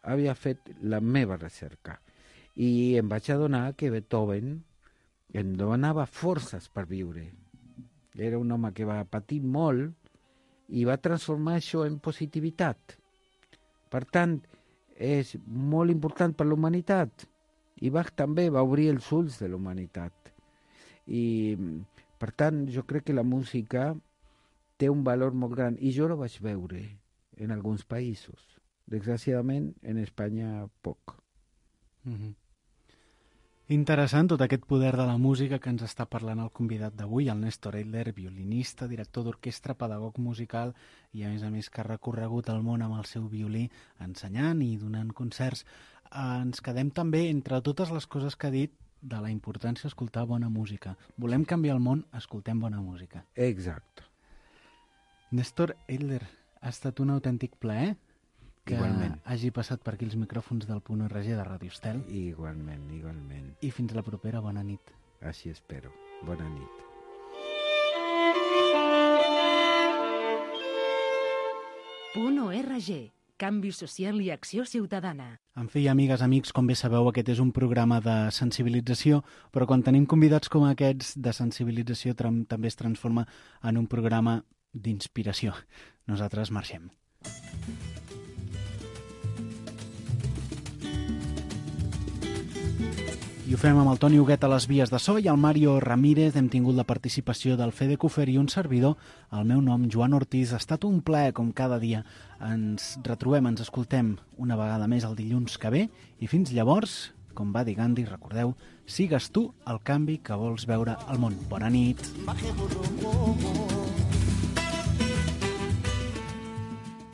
havia fet la meva recerca. I em vaig adonar que Beethoven em donava forces per viure. Era un home que va patir molt i va transformar això en positivitat. Per tant, és molt important per la humanitat. I Bach també va obrir els ulls de la humanitat. I, per tant, jo crec que la música té un valor molt gran. I jo la vaig veure en alguns països. Desgraciadament, en Espanya, poc. Mm-hmm. Interessant tot aquest poder de la música que ens està parlant el convidat d'avui, el Néstor Eitler, violinista, director d'orquestra, pedagog musical i, a més a més, que ha recorregut el món amb el seu violí, ensenyant i donant concerts. Ens quedem també, entre totes les coses que ha dit, de la importància d'escoltar bona música. Volem canviar el món, escoltem bona música. Exacte. Néstor Eitler, ha estat un autèntic plaer que igualment hagi passat per aquí els micròfons del Punt R G de Ràdio Estel. Igualment, igualment. I fins la propera, bona nit. Així espero. Bona nit. Punt O R G, Canvi Social i Acció Ciutadana. En fi, amigues, amics, com bé sabeu, aquest és un programa de sensibilització, però quan tenim convidats com aquests de sensibilització també es transforma en un programa d'inspiració. Nosaltres marxem. I ho fem amb el Toni Huguet a les vies de so i el Mario Ramírez. Hem tingut la participació del Fede Cufer i un servidor. El meu nom, Joan Ortiz. Ha estat un plaer, com cada dia. Ens retrobem, ens escoltem una vegada més el dilluns que ve. I fins llavors, com va dir Gandhi, recordeu, sigues tu el canvi que vols veure al món. Bona nit.